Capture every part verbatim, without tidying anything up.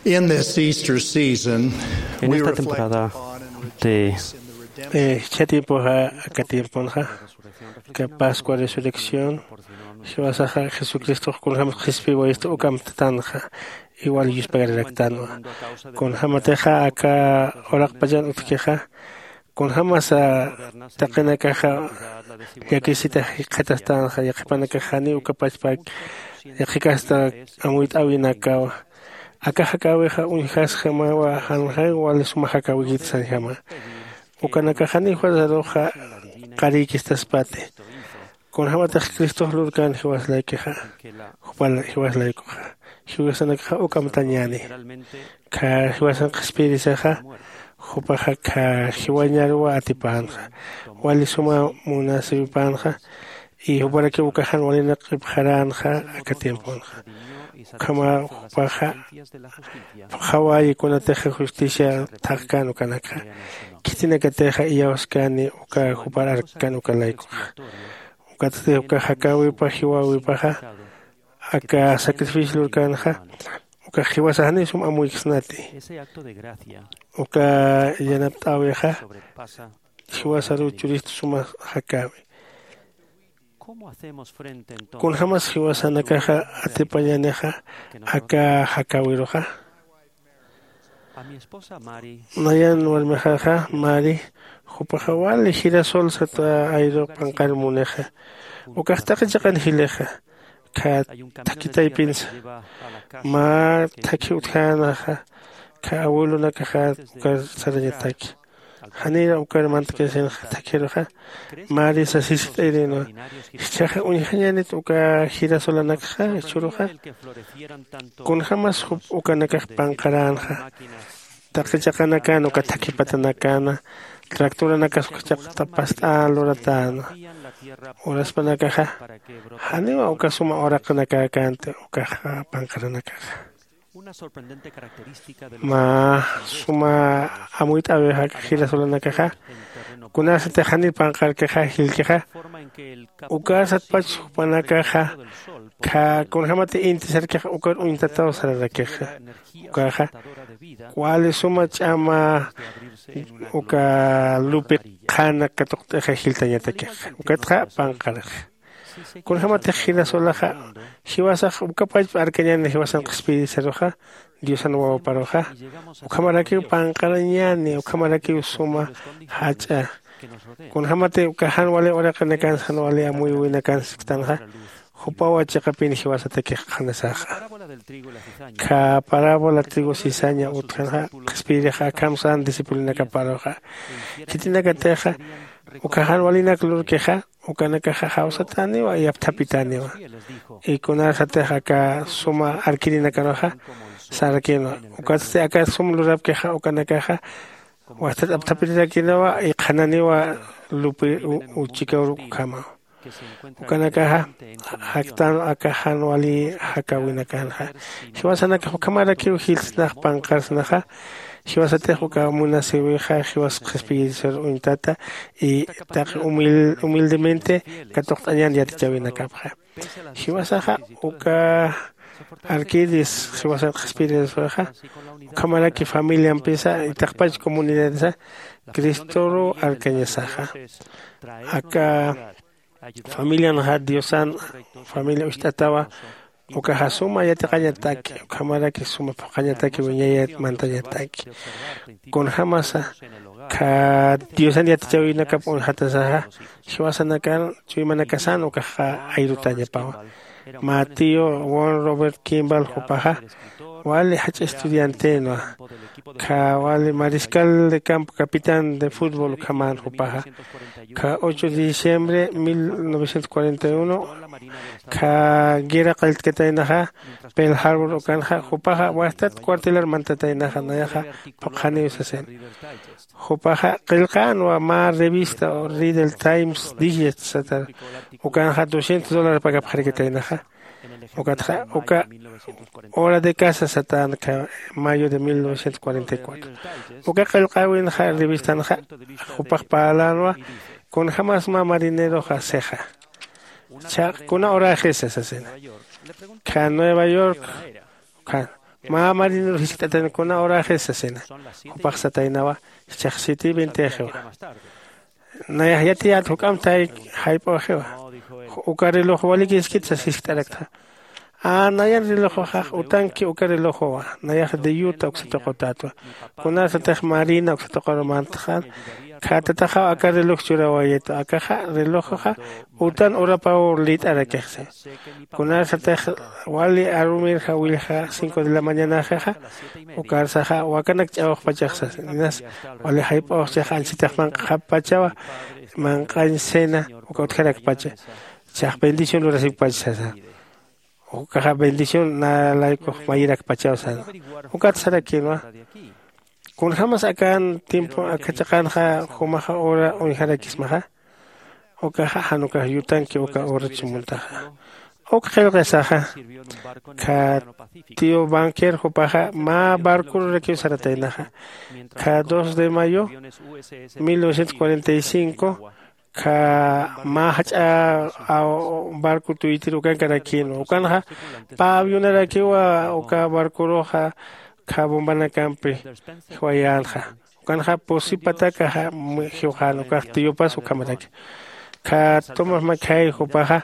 In this Easter season, en esta temporada de eh, cha tiempoxa aka tiemponxa ka pascua resurrección jiwasaxa jesucristox kunjämas qhispiwayista ukamtatanxa. Igual yuspagararaktanwa kunjämatixa aka uraqpachan utjkixa kunjämasa taqinakaxa llakisita jikxatastanxa yaqhipanakax janiw ukapachpak yaqhikasta amuyt'äwinakawa. Aka jakäwixa uñjasjamawa janxay wali suma jakäwikit sañjama. Ukanakax janiw juerzaruxa qarïkistaspati. Kunjämatix cristox lurkän jiwasalaykixa jupa jiwasalaykuxa jiwasanakaxa ukamtañäni. Kha jiwasan qhispiyirisixa jupaxa kha jiwañaruw atipänxa wali suma munasipänxa. Y juparakiw ukax jan walinak q'ipxaränxa aka tiemponxa. Ukhamaw jupaxa phuqhawäyi kunatixa justicia thaqkän ukanakxa. Khitinakatixa iyawskani uka jupar arkkan uka laykuxa. Ukatsti uka jakäwipa jiwäwipaxa aka sacrificio lurkänxa ukax jiwasax janiw sum amuyksnati. Uka yanapt'äwixa jiwasaruw churist suma jakäwi. Kunjämas jiwasanakaxa atipañänixa aka jakäwiruxa? Nayan warmixaxa mari jupaxa wali girasol sata ayru panqar munixa. Ukax taqi chiqan jilixa kha thakhi taypinsa mä thakhi utjänaxa kha abuelonakaxa ukar sarañataki. Janira ukar mantkasinax thakhiruxa mari sasisit'ayrinwa. Jichhaxa uñjañänit uka jirasolanakxa jichhüruxa? Kunjämas jup ukanakax panqaränxa? Taqi chiqanakäna uka thakhi patanakäna tractoranakas uka chiqta past'än luratäna. Uraspanakaxa janiwa uka suma uraqanakäkänti ukax panqaranakaxa. Mä suma amuyt'äwixa jirasolanakaxa kunasatix janiw panqarkixa jilkixa. Ukasatpach jupanakaxa kha kunjämati intisarkixa ukar uñtataw sararakixa. Ukaxa wali suma ch'ama uka lupi qhana katuqt'ixa jiltañatakixa ukatxa panqarixa. Kunjämatix jinasulaxa jiwasax ukapachpa arkañäni jiwasan qhispiyirisaruxa diosan wawaparuxa. Ukhamarakiw panqarañäni ukhamarakiw suma jach'a. Kunjämati uka jan wali uraqinakansa jan wali amuyuwinakansa siktanxa jupawa chiqapin jiwasatakix qhanasaxa. Kha parábola trigo cizaña utjanxa qhispiyirixa akham san discipulonakaparuxa. Khitinakatixa uka jan walinak lurkixa ukanakaxa jawsatäniwa yapthapitäniwa. Y kunasatix aka suma arkirinakaruxa sarakïnwa. Ukatsti aka sum lurapkixa ukanakaxa wastat apthapirirakïnawa y qhananiwa lupi uchikawruk ukhamaw. Ukanakaxa jaktänwa aka jan wali jakäwinakanxa. Jiwasanakax ukhamarakiw jilsnax panqarsnaxa. Jiwasatix uka munasïwixa jiwas qhispiyirisar uñtata y taqi humildemente katuqt'añän yatichäwinakapxa. Jiwasaxa uka arkiris jiwasan qhispiyirisarxa ukhamaraki familiampisa itaqpach comunidadisa cristoru arkañasaxa. Aka familianxa diosan familia ucht'atawa. Ukaxa suma yatiqañataki ukhamaraki suma phuqhañataki wiñayat mantañataki. Kunjämasa kha diosan yatichäwinakap uñjatasaxa jiwasanakan chuymanakasan ukaxa ayrutañapawa. Mä tío won robert kimball jupaxa wali jach'a estudiantenwa. Kha wali mariscal de campo capitán de fútbol ukhamän jupaxa. Kha ocho de diciembre mil novecientos cuarenta y uno kha guerra qalltkataynaxa pearl harbor ukanxa jupaxa wastat cuartelar mantataynaxa nayaxa phuqhaniw sasin. Jupaxa qillqänwa mä revista o reader times digest satar ukanxa doscientos dólares pagapxarikataynaxa. Ukatxa uka hora de casa satänxa mayo de mil novecientos cuarenta y cuatro. Uka qillqäwinxa revistanxa jupax parlänwa kunjämas mä marineroxa sixa. Chhaq kuna horaxisa sasina. Kha nueva york kha mä marinero jiskt'atan kuna horaxis sasina. Jupax sataynawa, jichhax siete y veintixiwa. Nayax yatiyät juk'amp tayk jayp'äxiwa. Uka reloj walikiskit sas jiskt'araktxa. A nayan relojoxax utanki uka relojowa. Nayax de yuta uksa tuqutätwa. Kunasatix marina uksa tuquru mantxan, khä tataxaw aka reloj churawayitwa akaxa relojoxa utan urapaw lït'arakixsi. Kunasatix wali arumir jawillxa cinco de la mañanaxixa, ukarsaxa wakanak ch'awxpachaxsas inas wali jayp'awxchix anchitax manq'xappachawa. Manq'añ cena uka utjarakpacha. Chax bendición lurasipkpach sasa. Ukaxa bendición nä laykux mayirakpachaw sasa. Ukat sarakïnwa. Kunjämas akan tiempo aka chiqanxa jumaxa hora uñjarakismaxa. Ukaxa jan ukax yutanki uka horat sumuntaxa. Uk qillqisaxa, kha tío banquer jupaxa mä barcururakiw sarataynaxa. Kha dos de mayo mil novecientos cuarenta y cinco, kha mä jach'a barco tuytir ukankarakïnwa ukanxa pä avionarakiwa. Uka barcuruxa kha bombanakampi jiwayänxa. Ukanxa pusipatakaxa jiwxän ukax tiyupas ukhamaraki. Kha tomas makhay jupaxa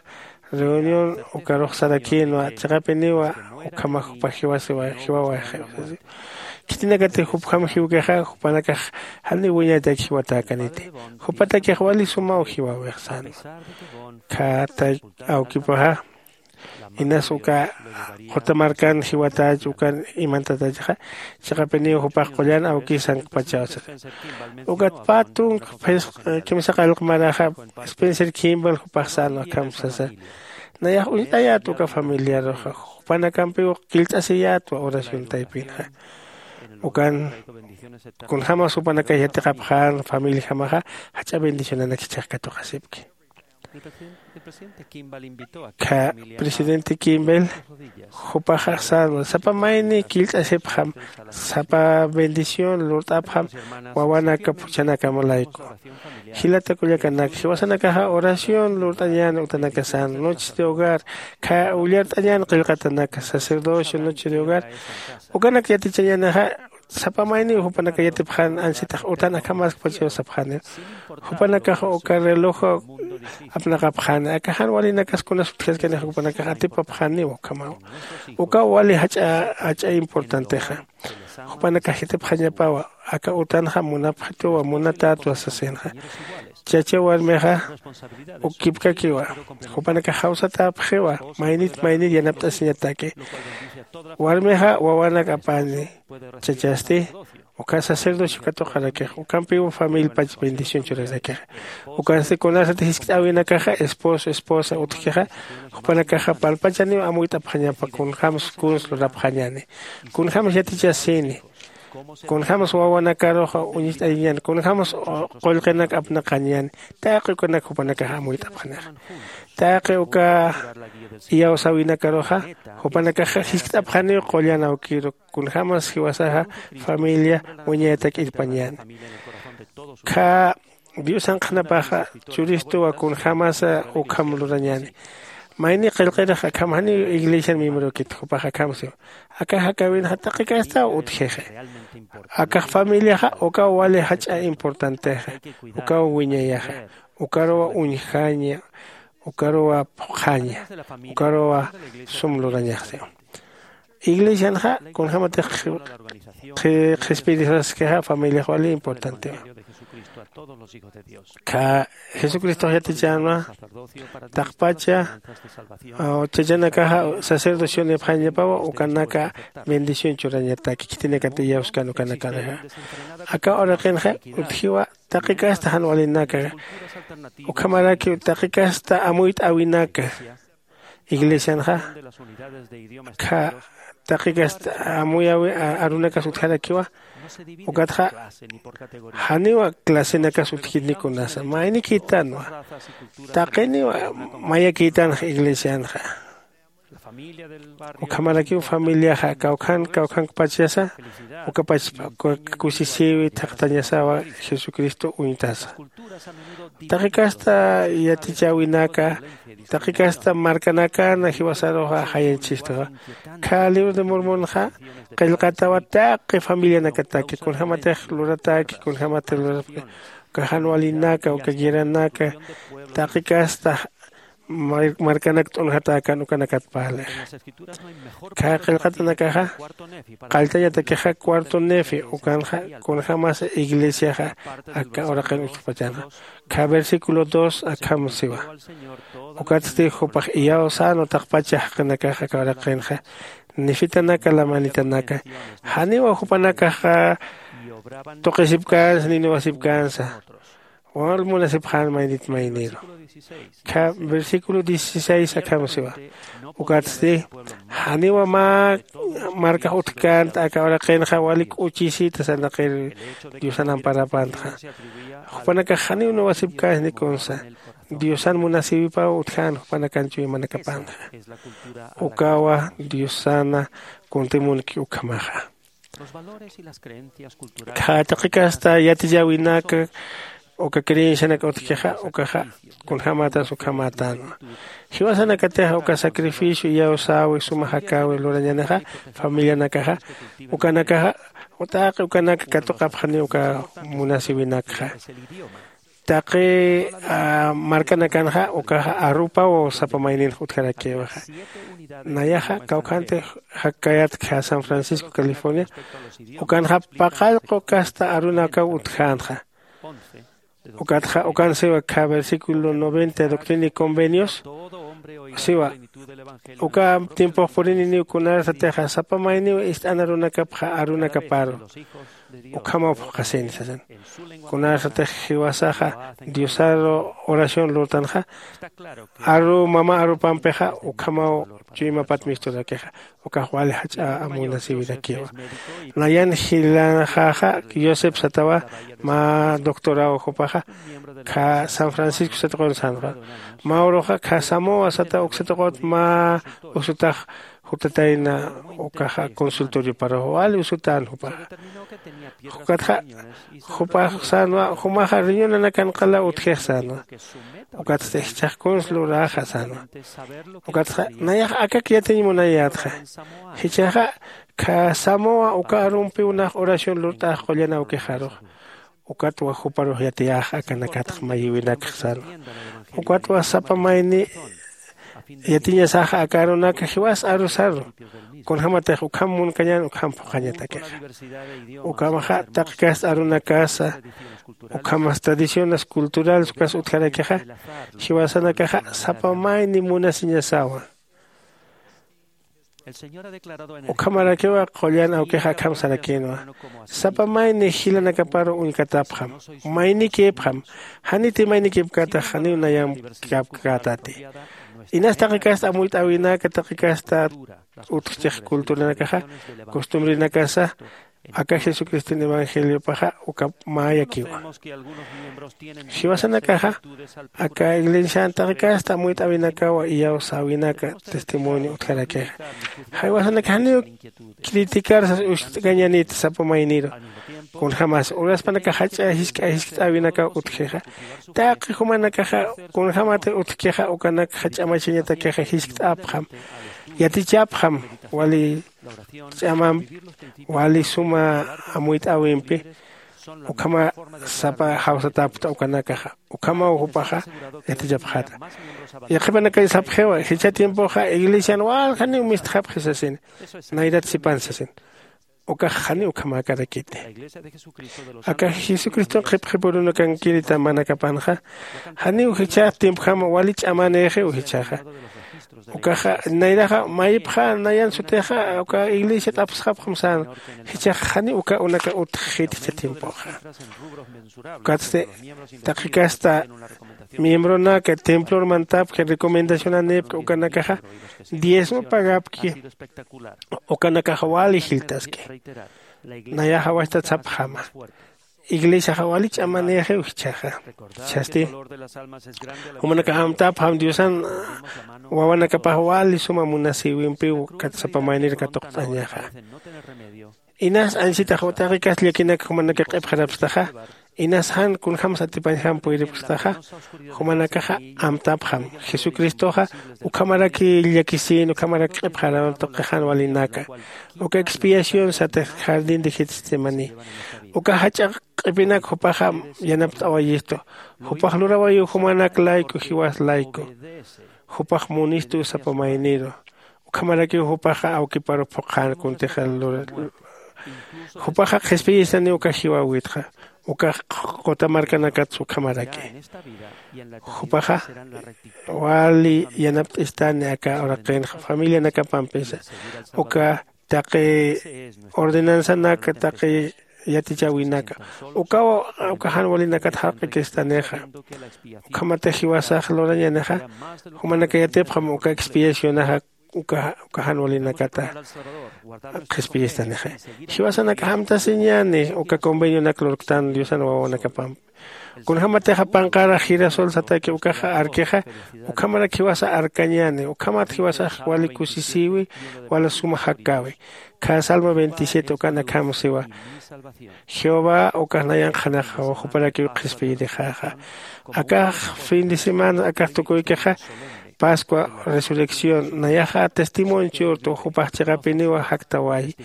reunión ukarux sarakïnwa chiqapiniwa. Ukhamax jupax jiwasiwa jiwawaxi. Khitinakatix jupjam jiwkixa jupanakax janiw wiñaytak jiwatäkaniti. Jupatakix wali sumaw jiwawix sänwa. Khätay awkipaxa inas uka qutamarkan jiwatach ukan imantatachaxa. Chiqapiniw jupax qullan awkis sankpachaw sasa. Ukat pä tunka phisqa kimsa qallq maraxa spencer kimball jupax sänwa akham sasa. Nayax uñt'ayät uka familiaruxa jupanakampiw killt'asiyätwa oración taypinxa. Ukan kunjämas jupanakax yatiqapxän familiajamaxa jach'a bendicionanak jichhax katuqasipki. Kha presidente kimbel jupaxax sänwa sapa mayni killt'asipxam sapa bendición lurt'apxam wawanaka phuchhanakama layku. Jilata kullakanak jiwasanakaxa oración lurt'añäni utanaka sänwa noches de hogar. Kha ullart'añäni qillqatanaka sacerdocio noches de hogar. Ukanak yatichañänixa sapa mayniw jupanaka yatipxän ansitax utan akhamaskpachaw sapxäniw. Jupanakax uka reloj apnaqapxäni aka jan walinakas kunas utjaskanix jupanakax atipapxäniw ukhamaw. Ukaw wali jach'a jach'a importantexa. Jupanakax yatipxañapawa aka utanxa munapxituwa munatätwa sasinxa. Chacha warmixa ukipkakiwa. Jupanakax jawsatäpxiwa maynit maynit yanapt'asiñataki. Warmixa wawanak apani chachasti uka sacerdocio katuqarakix ukampiw familpach bendición churarakixa. Ukansti kunasati jiskt'äwinakaxa esposo esposa utjkixa jupanakaxa palpachaniw amuyt'apxañapa kunjämsa kuns lurapxañäni. Kunjämsa yatichasini kunjämsa wawanakaruxa uñist'ayañäni kunjämsa qullqinak apnaqañäni. Taqi ukanak jupanakaxa amuyt'apxanixa. Taqi uka iyawsäwinakaruxa jupanakaxa jiskt'apxaniw qullan awkiru kunjämas jiwasaxa familia wiñaytak irpañäni. Kha diosan qhanapaxa churistuwa kunjämasa ukham lurañäni. Mayni qillqirix akham janiw iglesian miembrokitu jupax akham siwa. Akax akawinxa taqi castaw utjixa. Akax familiaxa ukaw wali jach'a importantexa. Ukaw wiñayaxa. Ukaruwa uñjaña. Ukaruwa phuqhaña. Ukaruwa sum lurañaxsiwa. Iglesianxa kunjämatix qhispirisaskixa familiax wali importantewa. Kha jesucristox yatichänwa taqpacha chachanakaxa sacerdocionipxañapawa ukanaka bendición churañataki khitinakat iyawskan ukanakanaxa. Aka uraqinxa utjiwa taqi casta jan walinaka ukhamarakiw taqi casta amuyt'äwinaka. Iglesianxa kha taqi casta amuyäwi arunakas utjarakiwa. Ukatxa janiwa clasenakas utjkitni kunasa maynikïtanwa. Taqiniwa mayakïtanxa iglesianxa. Ukhamarakiw familiaxa kawkhan kawkhankpachasa ukapachpa kusisïwi thaqtañasawa. Jesucristo uñtasa taqi casta yatichäwinaka Taqi kasta markanakana jiwasaruxa jayañchistuxa. Kha libro de mormonxa qillqatawa taqi familianakataki kunjämatix lurataki kunjämatix lurapki uka jan walinaka uka guerranaka taqi kasta markanak t'unjatäkän ukanakat parlixa. Kha qillqatanakaxa qalltañatakixa cuarto nefi ukanxa kunjämasa iglesiaxa aka uraqin utkpachanxa. Kha versículo dos akham siwa. Ukatsti jupax iyawsän utaqpacha jaqinakaxa aka uraqinxa nefitanaka lamanitanaka janiwa jupanakaxa tuqisipkänsa ninuwasipkänsa. Wal munasipxän maynit mayniru. Kha versículo dieciséis akham siwa. Ukatsti janiwa mä markax utjkänta aka uraqinxa wali k'uchisita sarnaqir diosan amparapantxa. Jupanakax janiw nuwasipkänsa nikunsa diosan munasïwipaw utjän jupanakan chuymanakapantxa. Ukawa diosana kuntimunki ukhamaxa. Kha taqi kasta yatiyäwinaka uka creencianak utjkixa ukaxa kunjämatas ukhamätänwa. Jiwasanakatixa uka sacrificio iyawsäwi suma jakäwi lurañanixa familianakaxa ukanakaxa taqi ukanak katuqapxani uka munasïwinakxa. Taqi markanakanxa ukaxa arupaw sapa mayninx utjarakïwixa. Nayaxa kawkhantix jakkayätkxa san francisco california ukanxa paqallqu kasta arunakaw utjänxa. Ukatxa ukan siwa kha versículo noventa doctrina y convenios siwa. Uka tiempox purininiw kunasatixa sapa mayniw ist'an arunakapxa arunakaparu ukhamaw phuqhasini sasin. Kunasatix jiwasaxa diosaru oración lurtanxa aru mama arupampixa ukhamaw chuymapat misturakixa. Ukax wali jach'a amuynasïwirakiwa. Nayan jilaxaxa josep satawa mä doctoraw jupaxa kha san francisco satuqun sanxa. Mä uruxa kha samowa sata uksatuqut mä usutax jutatayna ukaxa consultorioparux wali usutän jupaxa. Jukatxa jupax sänwa jumaxa riñonanakan qala utjix sänwa. Ukatsti jichhax kuns luräxa sänwa. Ukatxa nayax akak yatiñ munayätxa. Jichhaxa kha samowa uka arumpiw nax oración lurt'ax qullan awkixarux. Ukatwa juparux yatiyäx akanakatx mayïwinakx sänwa. Ukatwa sapa mayni yatiñasaxa aka arunaka jiwas arusaru kunjämatix ukham munkañän ukham phuqhañatakixa. Ukhamaxa taqi kasta arunakasa ukhamas tradiciones culturales ukas utjarakixa jiwasanakaxa sapa mayni munasiñasawa. Ukhamarakiwa qullan awkixa akham sarakïnwa. Sapa mayni jilanakaparu uñkatapxam maynikïpxam. Janiti maynikïpkatax janiw nayamkapkätati. Inas taqi kasta amuyt'äwinaka taqi kasta utjchix culturanakaxa costumbrenakasa aka jesucriston evangeliopaxa uka mäyakiwa. Jiwasanakaxa aka iglesian taqi kasta amuyt'äwinakawa iyawsäwinaka testimonio utjarakixa. Jiwasanakax janiw criticar sas ucht'kañanïta sapa mayniru. Kunjämas uraspanakax jach'a jisk'a jiskt'äwinakaw utjixa. Taqi jumanakaxa kunjämatix utjkixa ukanak jach'a machañatakixa jiskt'apxam yatichapxam wali ch'amampi wali suma amuyt'äwimpi ukhama sapa jawsatäpxta ukanakaxa. Ukhamaw jupaxa yatichapxäta. Yaqhipanakay sapxiwa jichha tiempoxa iglesian walja janiw mistxapxi sasin. Nayrat sipan sasin. Ukax janiw ukhamäkarakiti. Aka jesucriston qhipqhipurunakankirita manakapanxa janiw jichha tiempjama wali ch'amanïxiw jichhaxa. Ukaxa nayraxa mayipxa nayan sutixa uka iglesia t'apsxapxam sän. Jichhax janiw uka unaka utjxit jichha tiempoxa. Ukatsti taqi kasta miembronaka templor mantapki recomendacionanïpki ukanakaxa diezmo pagapki. Ukanakaxa wali jiltaski. Nayaxa wachtat sapxama iglesiaxa wali ch'amanïxiw jichhaxa. Jichhasti jumanakax amtapxam diosan wawanakapax wali suma munasïwimpiw sapa maynir katuqt'añaxa. Inas añsitax taqi kasta llakinak jumanakax q'ipxarapstaxa. Inas jan kunjämsa atipañjam puyripxtaxa, jumanakaxa amtapxam. Jesucristoxa ukhamaraki llakisïn, ukhamarak q'ipxaran tuqixan walinaka. Uka expiación satix jardín de Getsemaní, uka jach'a q'ipinak jupaxa yanapt'awayistu. Jupax lurawayï jumanak layku, jiwas layku. Jupax munistu sapa mayniru. Ukhamarakiw jupaxa awkiparu phuqhan kuntix lura. Jupaxa qhispiyistani uka jiwäwitxa, ukax quta markanakatsa ukhamaraki. Jupaxa wali yanapt'istani aka uraqinxa familianakapampisa, uka taqi ordenanzanaka, taqi yatichäwinaka, ukaw uka jan walinakat jarq'ikistanixa. Ukhamatix jiwasax lurañänixa, jumanaka yatipxam uka expiacionaxa uka uka jan walinakata qhispiyistanixa. Jiwasanakax amtasiñäni uka convenionak lurktan diosan wawanakapampi. Kunjämatixa panqarax girasol sataki ukaxa arkixa, ukhamarak jiwasa arkañäni. Ukhamat jiwasax wali kusisïwi, wala suma jakkäwi. Khä salmo veintisiete ukan akham siwa, jehová ukax nayanx qhanaxaw, juparakiw qhispiyirixäxa. Akax fin de semana akax tukuykixa, pascua, resurrección, nayaxa testimonio churtu jupax chiqapiniwa jaktawayi.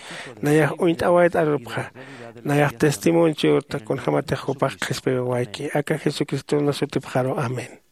Nayax uñt'awayt arupxa. Nayax testimonio churta kunjämatix jupax qhispiwawayki aka jesucristona sutipxaru, amén.